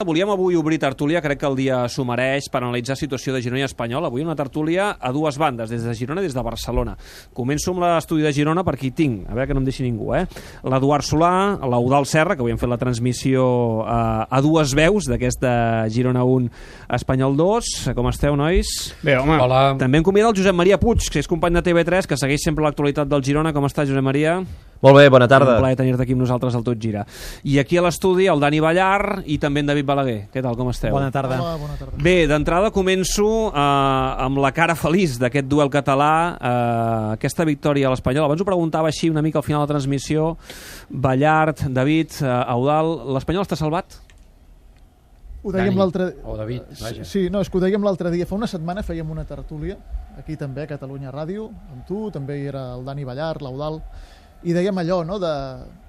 Volíem avui obrir tertúlia, crec que el dia s'ho mereix, per analitzar situació de Girona i Espanyol. Avui una tertúlia a dues bandes, des de Girona i des de Barcelona. Començo amb l'estudi de Girona perquè hi tinc, a veure que no em deixi ningú, l'Eduard Solà, l'Eudald Serra, que avui hem fet la transmissió a dues veus d'aquesta Girona 1, Espanyol 2. Com esteu, nois? Bé, home. Hola. També em convida el Josep Maria Puig, que és company de TV3, que segueix sempre l'actualitat del Girona. Com està, Josep Maria? Molt bé, bona tarda. Un plaer tenir-te aquí amb nosaltres al Tot Gira. I aquí a l'estudi el Dani Ballar i també en David Balaguer. Què tal, com esteu? Bona tarda. Hola, bona tarda. Bé, d'entrada començo amb la cara feliç d'aquest duel català, aquesta victòria a l'Espanyol. Abans ho preguntava així una mica al final de la transmissió. Ballart, David, Eudald, l'Espanyol està salvat? Ho dèiem l'altre... O David, vaja. Sí, no, és que ho dèiem l'altre dia. Fa una setmana fèiem una tertúlia, aquí també, a Catalunya Ràdio, amb tu, també hi era el Dani Ballar, l'Eudald, i dèiem allò, no?, de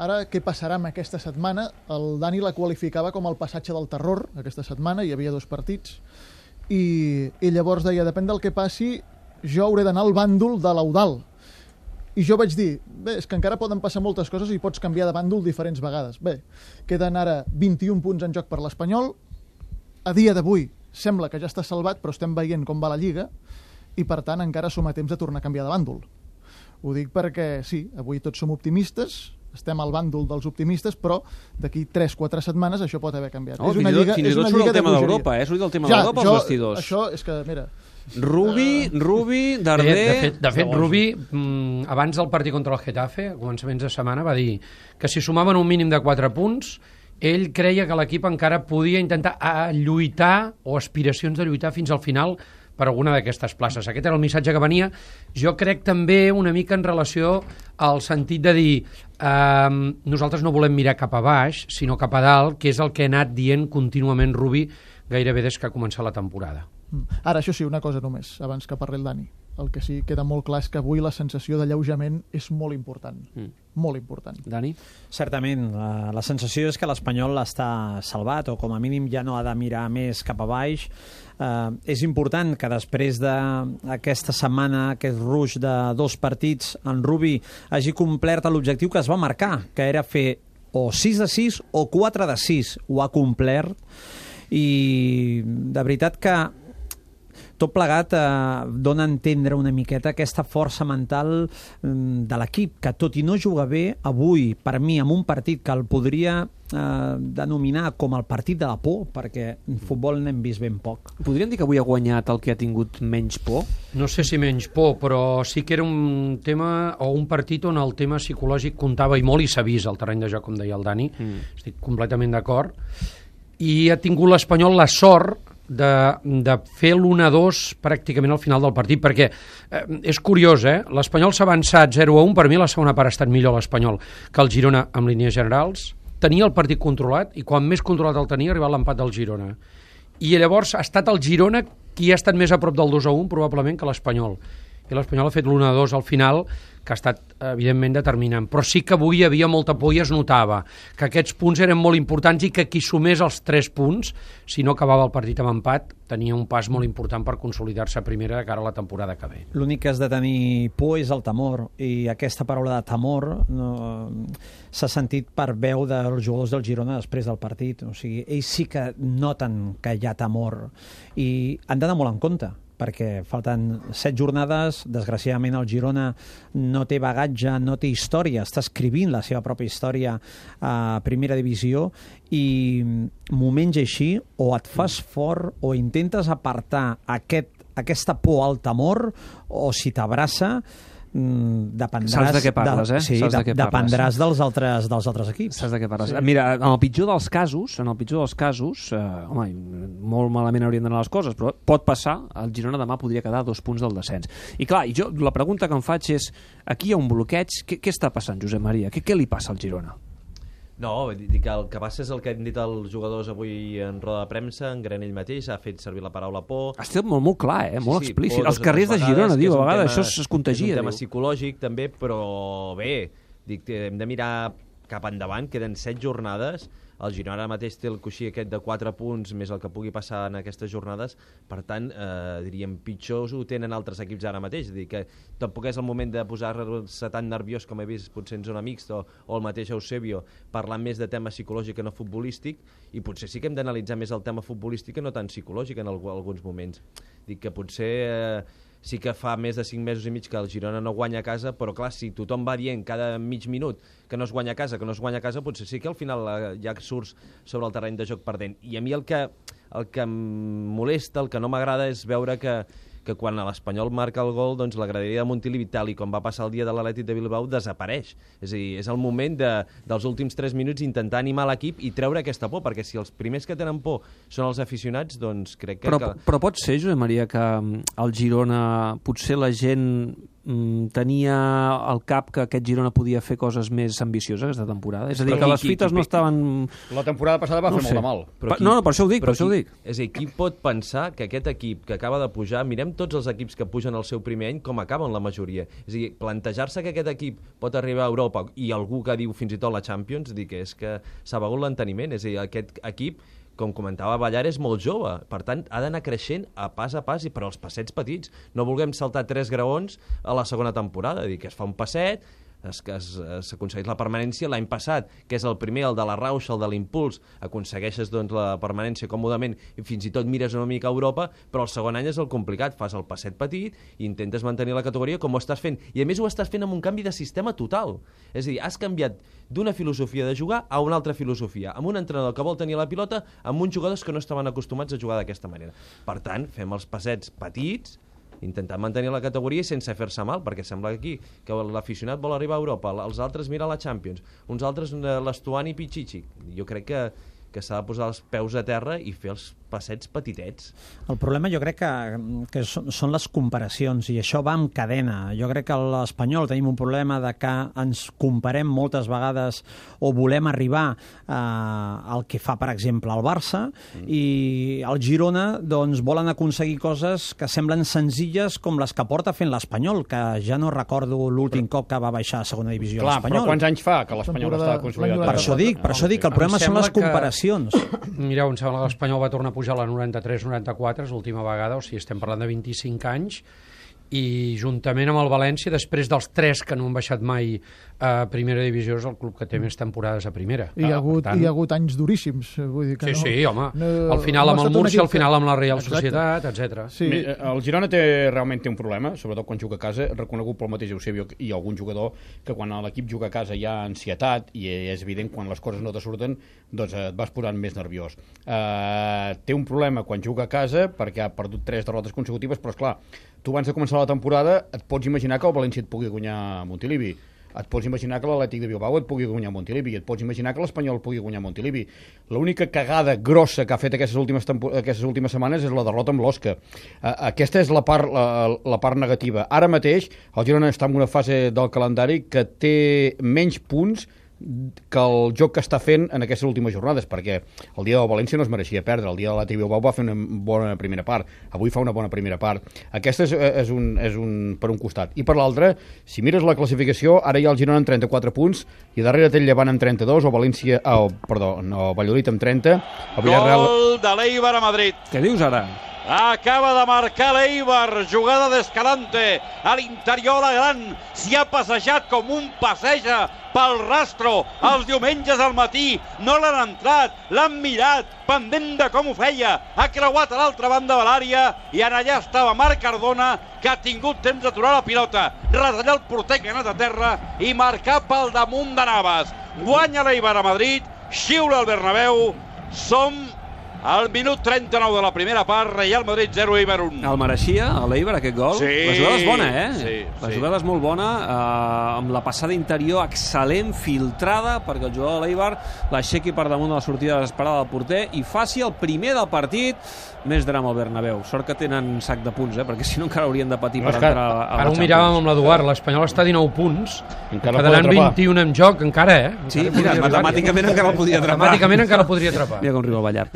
ara què passarà amb aquesta setmana. El Dani la qualificava com el passatge del terror, aquesta setmana, hi havia 2 partits, i llavors deia, depèn del que passi, jo hauré d'anar al bàndol de l'Eudald. I jo vaig dir, bé, és que encara poden passar moltes coses i pots canviar de bàndol diferents vegades. Bé, queden ara 21 punts en joc per l'Espanyol. A dia d'avui sembla que ja està salvat, però estem veient com va la Lliga i, per tant, encara som a temps de tornar a canviar de bàndol. Ho dic perquè, sí, avui tots som optimistes, estem al bàndol dels optimistes, però d'aquí 3-4 setmanes això pot haver canviat. Oh, fins i tot surt el tema d'Europa, surt el tema d'Europa als vestidors. Això és que, mira... Rubi, Darder... De fet, Rubi, abans del partit contra el Getafe, a començaments de setmana, va dir que si sumaven un mínim de 4 punts, ell creia que l'equip encara podia intentar lluitar o aspiracions de lluitar fins al final per alguna d'aquestes places. Aquest era el missatge que venia. Jo crec també una mica en relació al sentit de dir nosaltres no volem mirar cap a baix, sinó cap a dalt, que és el que ha anat dient contínuament Rubi gairebé des que ha començat la temporada. Ara, això sí, una cosa només, abans que parli el Dani. El que sí queda molt clar és que avui la sensació d'alleujament és molt important. Molt important. Dani? Certament, la sensació és que l'Espanyol està salvat, o com a mínim ja no ha de mirar més cap a baix. És important que després d'aquesta setmana, aquest ruix de 2 partits, en Rubi hagi complert l'objectiu que es va marcar, que era fer o 6 de 6 o 4 de 6. Ho ha complert i de veritat que tot plegat dona a entendre una miqueta aquesta força mental de l'equip, que tot i no jugar bé, avui, per mi, en un partit que el podria denominar com el partit de la por, perquè en futbol n'hem vist ben poc. Podríem dir que avui ha guanyat el que ha tingut menys por? No sé si menys por, però sí que era un tema o un partit on el tema psicològic comptava i molt, i s'ha vist al terreny de joc, com deia el Dani. Estic completament d'acord. I ha tingut l'Espanyol la sort de fer l'1-2 pràcticament al final del partit, perquè és curiós, l'Espanyol s'ha avançat 0-1, per mi la segona part ha estat millor l'Espanyol que el Girona en línies generals, tenia el partit controlat i quan més controlat el tenia ha arribat l'empat del Girona, i llavors ha estat el Girona qui ha estat més a prop del 2-1 probablement que l'Espanyol, i l'Espanyol ha fet l'1-2 al final, que ha estat evidentment determinant, però sí que avui hi havia molta por i es notava que aquests punts eren molt importants i que qui sumés els 3 punts, si no acabava el partit amb empat, tenia un pas molt important per consolidar-se a primera de cara a la temporada que ve. L'únic que has de tenir por és el temor, i aquesta paraula de temor s'ha sentit per veu dels jugadors del Girona després del partit. O sigui, ells sí que noten que hi ha temor i han d'anar molt en compte, perquè falten 7 jornades, desgraciadament el Girona no té bagatge, no té història, està escrivint la seva pròpia història a primera divisió, i moments així o et fas fort o intentes apartar aquesta por al temor, o si t'abraça dependràs... Saps de què parles, Sí, dependràs dels altres equips. Saps de què parles. Sí. Mira, en el pitjor dels casos, home, molt malament haurien d'anar les coses, però pot passar, el Girona demà podria quedar a 2 punts del descens. I clar, la pregunta que em faig és, aquí hi ha un bloqueig, què està passant, Josep Maria? Què li passa al Girona? No, dic que el que passa és el que han dit els jugadors avui en roda de premsa, en Granell mateix ha fet servir la paraula por. Ha estat molt clar, molt explícit. Els carrers de Girona, diu, a vegades això es contagia. És un tema psicològic també, però bé, dic, hem de mirar cap endavant, queden 7 jornades, el Girona ara mateix té el coixí aquest de 4 punts més el que pugui passar en aquestes jornades, per tant, diríem, pitjors ho tenen altres equips ara mateix, és a dir, que tampoc és el moment de posar-se tan nerviós com he vist potser en zona mixta o el mateix Eusebio, parlant més de tema psicològic que no futbolístic, i potser sí que hem d'analitzar més el tema futbolístic que no tan psicològic en alguns moments. Dic que potser sí que fa més de 5 mesos i mig que el Girona no guanya a casa, però clar, si tothom va dient cada mig minut que no es guanya a casa, potser sí que al final ja surts sobre el terreny de joc perdent. I a mi el que em molesta, el que no m'agrada és veure que quan l'Espanyol marca el gol, doncs la graderia de Montilivi, tal i com va passar el dia de l'Atlètic de Bilbao, desapareix. És a dir, és el moment dels últims 3 minuts intentar animar l'equip i treure aquesta por, perquè si els primers que tenen por són els aficionats, doncs crec que... Però pot ser, Josep Maria, que al Girona potser la gent tenia al cap que aquest Girona podia fer coses més ambicioses aquesta temporada? És a dir, que les fites no estaven... La temporada passada va fer molt de mal. No, per això ho dic, És a dir, qui pot pensar que aquest equip que acaba de pujar, mirem tots els equips que pugen al seu primer any com acaben la majoria. És a dir, plantejar-se que aquest equip pot arribar a Europa i algú que diu fins i tot la Champions, dir que és que s'ha begut l'enteniment. És a dir, aquest equip, com comentava Ballar, és molt jove, per tant ha d'anar creixent a pas, i per als passets petits. No vulguem saltar 3 graons a la segona temporada, dir que es fa un passet, s'aconsegueix la permanència. L'any passat, que és el primer, el de la rauxa, el de l'impuls, aconsegueixes doncs, la permanència còmodament i fins i tot mires una mica a Europa, però el segon any és el complicat, fas el passet petit i intentes mantenir la categoria com ho estàs fent, i a més ho estàs fent amb un canvi de sistema total, és a dir, has canviat d'una filosofia de jugar a una altra filosofia, amb un entrenador que vol tenir la pilota, amb uns jugadors que no estaven acostumats a jugar d'aquesta manera. Per tant, fem els passets petits, intentar mantenir la categoria sense fer-se mal, perquè sembla aquí que l'aficionat vol arribar a Europa, els altres mira la Champions, uns altres l'Estuani i Pichichi. Jo crec que s'ha de posar els peus a terra i fer els passets petitets. El problema jo crec que són les comparacions, i això va amb cadena. Jo crec que a l'Espanyol tenim un problema de que ens comparem moltes vegades o volem arribar al que fa, per exemple, el Barça, i el Girona doncs, volen aconseguir coses que semblen senzilles com les que porta fent l'Espanyol, que ja no recordo l'últim cop que va baixar a segona divisió l'Espanyol. Però quants anys fa que l'Espanyol està consolidat? Per això dic que el problema són les comparacions. Mireu, em sembla que l'Espanyol va tornar a pujar a la 93-94, és l'última vegada, o sigui, estem parlant de 25 anys, i juntament amb el València, després dels 3 que no han baixat mai a primera divisió, és el club que té més temporades a primera. Hi ha hagut anys duríssims. Vull dir que sí, home. Al final amb el Múrcia, al final amb la Real Societat, etc. Sí. El Girona realment té un problema, sobretot quan juga a casa, reconegut pel mateix Eusebio i algun jugador, que quan l'equip juga a casa hi ha ansietat, i és evident quan les coses no te surten, doncs et vas posant més nerviós. Té un problema quan juga a casa, perquè ha perdut 3 derrotes consecutives, però esclar, tu abans de començar la temporada et pots imaginar que el València et pugui guanyar a Montilivi, et pots imaginar que l'Atlètic de Bilbao et pugui guanyar a Montilivi, et pots imaginar que l'Espanyol pugui guanyar a Montilivi. L'única cagada grossa que ha fet aquestes últimes setmanes és la derrota amb l'Osca. Aquesta és la part negativa. Ara mateix el Girona està en una fase del calendari que té menys punts que el joc que està fent en aquestes últimes jornades, perquè el dia del València no es mereixia perdre, el dia de l'Atlètic Bilbao va fer una bona primera part, avui fa una bona primera part. Aquesta és per un costat. I per l'altre, si mires la classificació, ara hi ha el Girona amb 34 punts i darrere té el Llevant amb 32, o Valladolid amb 30, el Villarreal... Gol de l'Eibar a Madrid. Què dius ara? Acaba de marcar l'Eibar, jugada d'Escalante, a l'interior la gran, s'hi ha passejat com un passeja pel rastro els diumenges al matí, no l'han entrat, l'han mirat, pendent de com ho feia, ha creuat a l'altra banda de l'àrea i en allà estava Marc Cardona, que ha tingut temps d'aturar la pilota, retallar el porter que ha anat a terra i marcar pel damunt de Navas. Guanya l'Eibar a Madrid, xiula el Bernabéu, som al minut 39 de la primera part, Real Madrid 0, Eibar 1. El mereixia, l'Eibar, aquest gol? Sí. La jugada és bona, Sí. La jugada és molt bona, amb la passada interior excel·lent, filtrada, perquè el jugador de l'Eibar l'aixequi per damunt de la sortida desesperada del porter i faci el primer del partit. Més drama al Bernabéu. Sort que tenen sac de punts, perquè si no encara haurien de patir per entrar a la Champions. Ara ho miràvem amb l'Eduard, l'Espanyol està a 19 punts, encara quedaran 21 en joc, encara, Sí, mira, matemàticament encara el podria atrapar. Matemàticament encara el podria atrapar. Mira com riu el Ballar.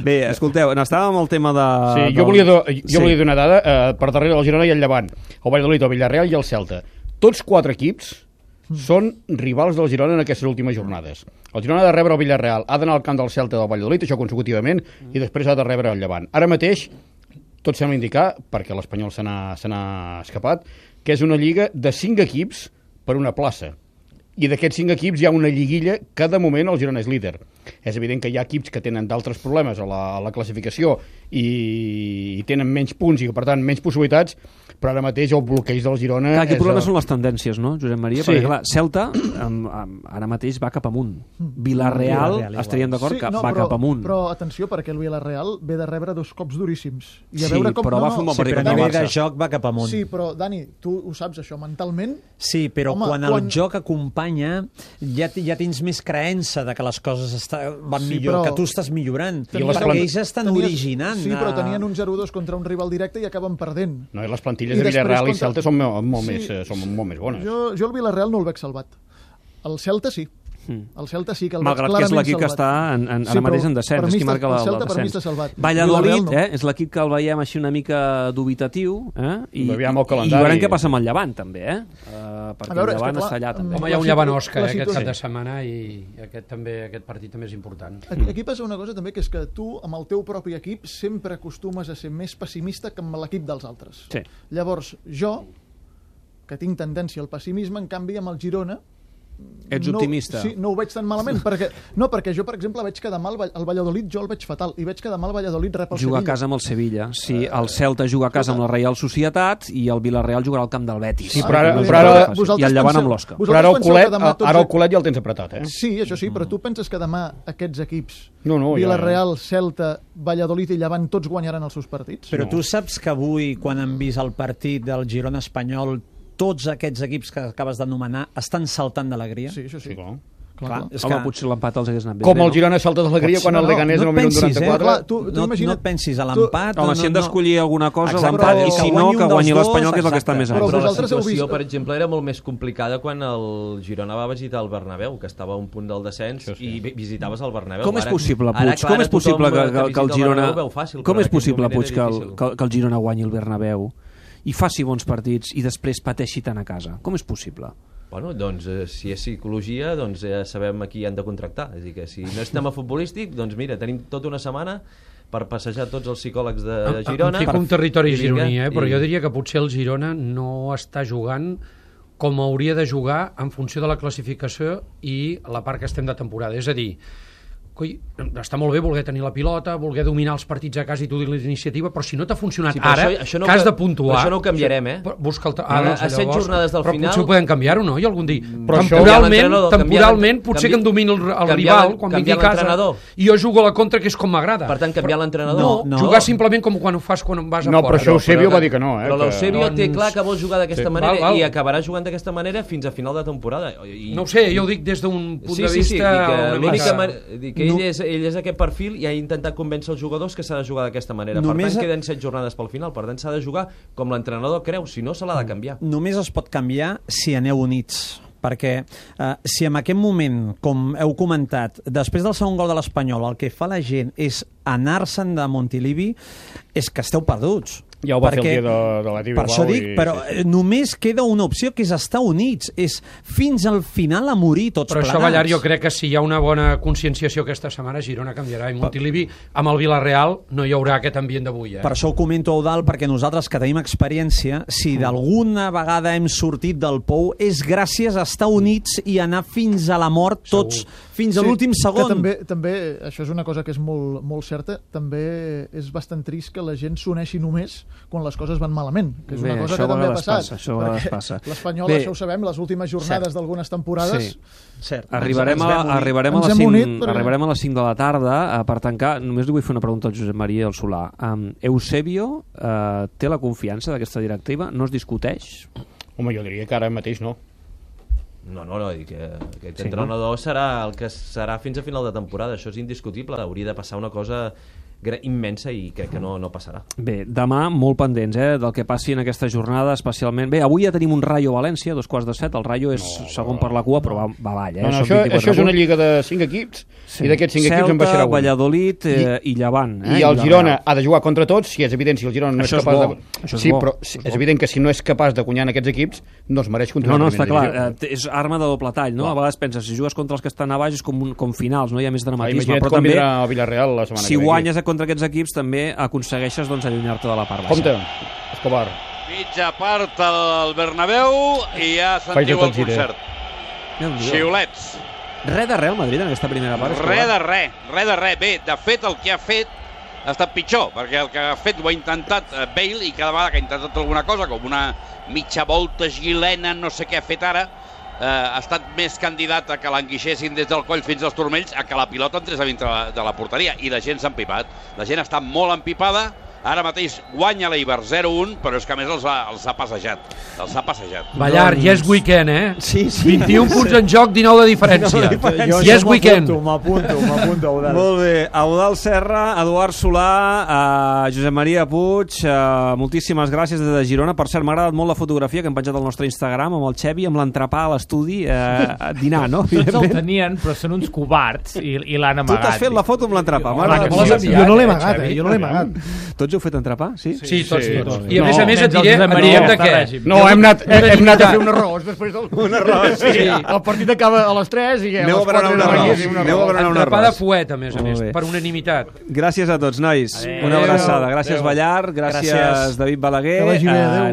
Bé, escolteu, n'estàvem amb el tema de... Sí, jo volia dir una dada, per darrere del Girona i el Llevant, el Valladolid, el Villarreal i el Celta. Tots 4 equips són rivals del Girona en aquestes últimes jornades. El Girona ha de rebre el Villarreal, ha d'anar al camp del Celta del Valladolid, això consecutivament, i després ha de rebre el Llevant. Ara mateix, tot sembla indicar, perquè l'Espanyol se n'ha escapat, que és una lliga de 5 equips per una plaça. I d'aquests 5 equips hi ha una lliguilla que de moment el Girona és líder. És evident que hi ha equips que tenen d'altres problemes a la classificació i tenen menys punts i per tant menys possibilitats, però ara mateix el bloqueig del Girona... Clar, aquí el problema són les tendències, no, Josep Maria? Sí. Perquè clar, Celta ara mateix va cap amunt. Villarreal estaríem d'acord que va cap amunt. Però atenció, perquè el Villarreal ve de rebre 2 cops duríssims. I a veure com... però va fer un bon partit contra el Barça. A nivell de joc va cap amunt. Sí, però Dani, tu ho saps això, mentalment... Sí, però quan el joc acompanya ja tens més creença de que les coses van millor, que tu estàs millorant. Perquè ells estan originant. Sí, però tenien un 0-2 contra un rival directe i acaben perdent. No, i les plantilles de Villarreal i Celta són molt més bones. Jo el Villarreal no el veig salvat. El Celta sí. El Celta sí que el veig clarament salvat. Malgrat que és l'equip que està ara mateix en descens, és qui marca el Celta per mi està salvat. Valladolid és l'equip que el veiem així una mica dubitatiu i veurem què passa amb el Llevant també, perquè el Llevant està allà també. Home, hi ha un Llevant Òscar aquest cap de setmana i aquest partit també és important. Aquí passa una cosa també, que és que tu amb el teu propi equip sempre acostumes a ser més pessimista que amb l'equip dels altres. Llavors jo, que tinc tendència al pessimisme, en canvi amb el Girona ets optimista. Sí, no ho veig tan malament, perquè jo, per exemple, veig que demà el Valladolid jo el veig fatal, i veig que demà el Valladolid rep el Sevilla. Juga a casa amb el Sevilla, sí, el Celta juga a casa amb la Reial Societat i el Villarreal jugarà al camp del Betis. Sí, però ara i el Llevant amb l'Osca. Però ara el Colet ja el tens apretat, eh? Sí, això sí, però tu penses que demà aquests equips, Villarreal, Celta, Valladolid i Llevant, tots guanyaran els seus partits? Però tu saps que avui, quan han vist el partit del Girona Espanyol, tots aquests equips que acabes d'anomenar estan saltant d'alegria? Sí, això sí. Clar, potser l'empat els hagués anat bé. Com el Girona salta d'alegria quan el Leganés en el minut 94. No et pensis a l'empat. Home, si hem d'escollir alguna cosa, l'empat, i si no, que guanyi l'Espanyol, que és el que està més alt. Però la situació, per exemple, era molt més complicada quan el Girona va visitar el Bernabéu, que estava a un punt del descens, i visitaves el Bernabéu. Com és possible, Puig? Com és possible que el Girona... Com és possible, Puig, que el Girona guanyi el Bernabéu i faci bons partits i després pateixi tant a casa? Com és possible? Bueno, doncs, si és psicologia, doncs ja sabem a qui han de contractar. És a dir, que si no és tema futbolístic, doncs mira, tenim tota una setmana per passejar tots els psicòlegs de Girona. Em fico un territori gironí, però jo diria que potser el Girona no està jugant com hauria de jugar en funció de la classificació i la part que estem de temporada. És a dir, està molt bé voler tenir la pilota, voler dominar els partits a casa i tu dir l'iniciativa, però si no t'ha funcionat ara, que has de puntuar... Això no ho canviarem, Busca a 7 jornades del final... Però potser ho podem canviar-ho, no? I algun dia. Temporalment, potser que em domini el rival quan vingui a casa i jo jugo a la contra, que és com m'agrada. Per tant, canviar l'entrenador? No, jugar simplement com quan ho fas quan vas a fora. No, però això Eusebio va dir que no. Però l'Eusebio té clar que vol jugar d'aquesta manera i acabarà jugant d'aquesta manera fins a final de temporada. No ho sé, jo ho dic des d'un punt de vista... Ell és aquest perfil i ha intentat convèncer els jugadors que s'ha de jugar d'aquesta manera. Per tant, queden 7 jornades pel final. Per tant, s'ha de jugar com l'entrenador creu. Si no, se l'ha de canviar. Només es pot canviar si aneu units. Perquè si en aquest moment, com heu comentat, després del segon gol de l'Espanyol, el que fa la gent és anar-se'n de Montilivi, és que esteu perduts. Ja ho va fer el dia de la TV. Per això dic, però només queda una opció, que és estar units. És fins al final a morir tots plegats. Però això, Ballar, jo crec que si hi ha una bona conscienciació aquesta setmana, Girona canviarà. I Montilivi, amb el Villarreal, no hi haurà aquest ambient d'avui. Per això ho comento, Eudald, perquè nosaltres que tenim experiència, si d'alguna vegada hem sortit del pou, és gràcies a estar units i anar fins a la mort tots, fins a l'últim segon. També, això és una cosa que és molt certa, també és bastant trist que la gent s'uneixi només quan les coses van malament, que és una cosa que també ha passat. Això l'Espanyol, això ho sabem, les últimes jornades d'algunes temporades... Arribarem a les 5 de la tarda per tancar. Només li vull fer una pregunta al Josep Maria i al Solà. Eusebio té la confiança d'aquesta directiva? No es discuteix? Home, jo diria que ara mateix no. No, que aquest entrenador serà el que serà fins a final de temporada, això és indiscutible. Hauria de passar una cosa immensa i crec que no passarà. Bé, demà molt pendents del que passi en aquesta jornada, especialment... Bé, avui ja tenim un Rayo València, 2:15, el Rayo és segon per la cua, però va avall. Això és una lliga de 5 equips, i d'aquests 5 equips en baixarà un. Valladolid i Llevant. I el Girona ha de jugar contra tots, si és evident, si el Girona no és capaç de... Sí, però és evident que si no és capaç de guanyar en aquests equips, no es mereix continuar. No, està clar, és arma de doble tall, no? A vegades penses, si jugues contra els que estan a baix és com finals, no hi ha més dramatisme. Imagina't com vindrà el Villarreal la setmana que ve. Si guanyes contra aquests equips també aconsegueixes allunyar-te de la part baixa. Compte, Escobar. Mitja part al Bernabéu i ja sentiu el concert. Xiulets. Res de res al Madrid en aquesta primera part. Res de res. Bé, de fet, el que ha fet ha estat pitjor, perquè el que ha fet ho ha intentat Bale i cada vegada que ha intentat alguna cosa, com una mitja volta xilena, no sé què ha fet ara, ha estat més candidat a que l'enguixessin des del coll fins als turmells a que la pilota entrés a dintre de la porteria, i la gent s'ha empipat. La gent està molt empipada. Ara mateix guanya l'Eibar 0-1, però és que a més els ha passejat. Ballar, ja és weekend, Sí. 21 punts en joc, 19 de diferència. Ja és weekend. M'apunto, Eudal. Molt bé. Eudal Serra, Eduard Solà, Josep Maria Puig, moltíssimes gràcies des de Girona. Per cert, m'ha agradat molt la fotografia que hem penjat al nostre Instagram amb el Xevi, amb l'entrepà a l'estudi, a dinar, no? Tots el tenien, però són uns covards i l'han amagat. Tu t'has fet la foto amb l'entrepà. Jo no l'he amagat, jo no l'he amagat. Tots heu fet entrepà, sí? Sí, tots. I a més et diré, en diem de què? No, hem anat a fer un arròs després del... Un arròs, sí. El partit acaba a les 3 i a les 4 entrepà de fuet, a més, per unanimitat. Gràcies a tots, nois. Una abraçada. Gràcies, Ballar. Gràcies, David Balaguer.